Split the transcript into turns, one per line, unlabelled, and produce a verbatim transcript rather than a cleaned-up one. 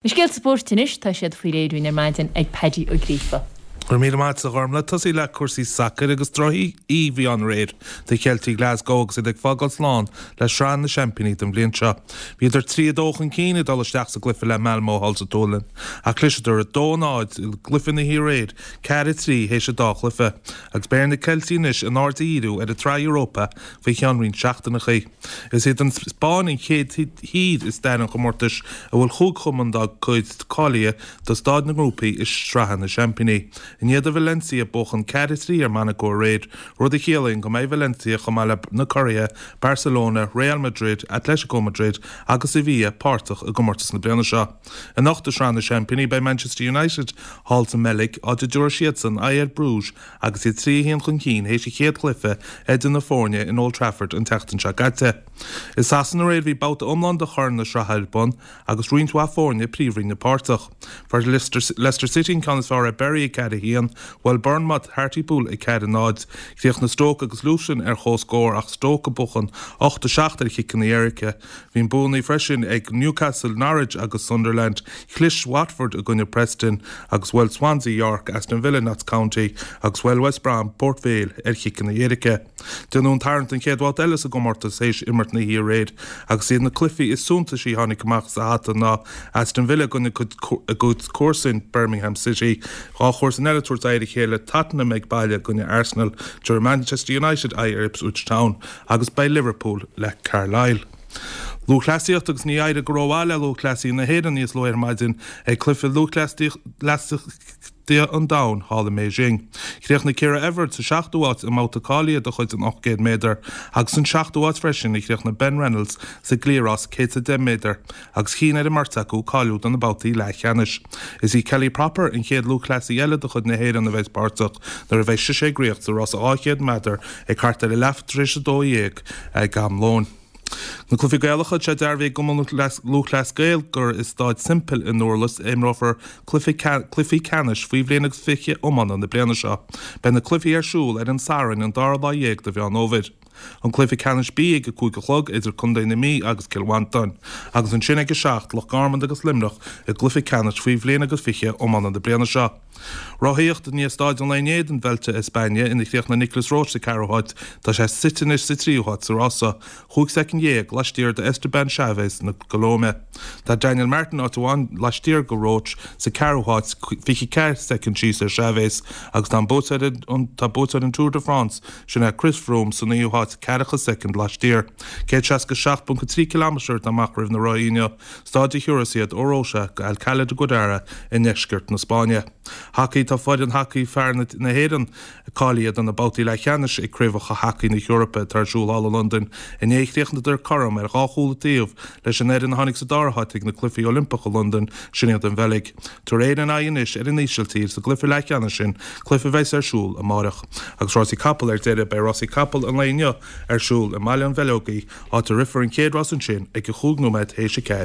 Na scéalta spóirt anois tá siad faoi réir ar maidin ag Paddy Ó Gríofa.
Go raibh míle maith agat a Ghormfhlaith tosaí le cúrsaí sacair agus drochoíche a bhí ann aréir do Cheiltigh Glasgow agus iad ag fágáil slán le Sraith na Seaimpíní don bhliain seo. Bhíodar trí a dó chun cinn ag dul isteach sa gcluiche le Malmo thall sa tSualainn ach chliseadar a dó náid i gcluiche na hiaréir ceathair a trí théis an dá chluiche, agus beidh ar na Ceiltigh anois a n-aird a dhíriú ar an tSraith Europa faoi cheann roinnt seachtaineacha. Is iad an Spáinn an chéad thír i stair an chomórtais a bhfuil chúig chumann dá cuid cáilithe do staid na ngrúpaí i Sraith na Seaimpíní. I ndiaidh do Valencia buachan ceathair a trí ar Monaco aréir, rud a chiallaíonn go mbeidh Valencia chomh maith le na curaithe Barcelona, Real Madrid, Atletico Madrid agus Sevilla páirteach i gcomórtas na bliana seo. Anocht i Sraith na Seaimpíní beidh Manchester United thall sa mBeilg áit a dtabharfaidh siadsan aghaidh ar Bruges agus iad trí a haon chun cinn théis an chéad chluiche idir na foirne in Old Trafford an tseachtain seo caite. I Sasana aréir bhí babhta iomlán de Chorn na Sraithe ar bun agus roinnt mhaith foirne príomhroinne páirteach. Fuair Leicester, Leicester City an ceann is fearr ar Bury ag ceathair a haon, bhuail Bournemouth Hartlepool ag ceathair a náid. Chríochnaigh Stoke agus Luton ar chomhscór ach Stoke ag buachan ocht a seacht ar chiceanna éirice. Bhí buanna freisin ag Newcastle, Norwich agus Sunderland, Chlis Watford i gcoinne Preston agus bhuail Swansea York, Aston Villa, Notts County agus bhuail West Brom Port Vale ar chiceanna éirice. Déanadh an tarraingt don chéad bhabhta eile sa gcomórtas théis imirt na hiaréir agus iad na cluichí is suntasaí a tháinig amach sa hata ná Aston Villa i gcoinne a gcuid comharsan Birmingham City, dhá chomharsan eile tabhairt aghaidh ar a chéile Tottenham ag baile i gcoinne Arsenal, tabharfaidh Manchester United aghaidh ar Ipswich Town agus beidh Liverpool le Carlisle. Lúthchleasaíocht agus níor éirigh go rómhaith le lúthchleasaí na hÉireann níos luaithe ar maidin ag cluiche lúthchleasaíochta an domhain thall i mBeijing. Chríochnaigh Ciara Everett sa seachtú háit i mbabhta cáilithe de chuid an ocht gcéad méadar agus an seachtú háit freisin a chríochnaigh Ben Reynolds sa gcliathrás céad is deich méadar agus chinn ar an mbeirt acu cáiliú do na babhtaí leathcheannais. Is í Kelly Proper an chéad lúthchleasaí eile de chuid na hÉireann a bheidh páirteach nuair a bheidh sise ag rith sa rás dhá chéad méadar ag thart ar a leath tar éis a dó dhéag ag am lóin. Na cluichí Gaelacha tá sé dearbhaithe ag Cumann Lúthchleas Gael gur i Staid Semple i nDurlas a imreofar cluichí ceannais faoi bhliain agus fiche iomána na bliana seo. Beidh na cluichí ar siúl ar an Satharn an dara lá dhéag de Mheán Fhómhair. An cluiche ceannais B ag a cúig a chlog idir Contae na Mí agus Cill Mhantáin, agus ansin ag a seacht Loch Garman agus Luimneach i gcluiche ceannais faoi bhliain agus fiche iomána na bliana seo. Rothaíocht i ndiaidh staid an lae inné den Vuelta a España ina chríochnaigh Nicolas Roche sa ceathrú háit, tá sé suite anois sa tríú háit sa rása, chúig soicind dhéag laistiar de Esteban Chaves na Colóime. Tá Daniel Martin áit amháin laistiar de Roche sa ceathrú háit, fiche ceathair soicind síos ar Chaves agus tá an buaiteoir tá buaiteoir an Tour de France sin é Chris Froome sa naoú háit ceathracha soicind laistiar. Céad seasca seacht ponc a trí kilometre atá amach roimh na rothaí inniu, staid a thiúrfas iad ó Rota go Alcalá de Guadaira i ndeisceart na Spáinne. Hacaí tá foireann hacaí fear na hÉireann cáilithe do na babhtaí leathcheannais ag Craobhacha Hacaí na hEorpa atá ar siúl thall i Londain. Inné chríochnadar cothrom ar dhá chúl an taobh leis an fhoireann a tháinig sa dara háit ag na Cluichí Oilimpeacha Londain, sin iad an Bheilg. Tabharfaidh Éire aghaidh anois ar an Ísiltír sa gcluiche leathcheannais sin, cluiche a bheas ar siúl amárach. Agus rásaí capall ar deireadh, beidh rásaí capall an lae inniu ar siúl i mBaile an Bheileogaí, áit a rithfear an chéad rás ansin ag a chúig nóiméad théis a ceathair.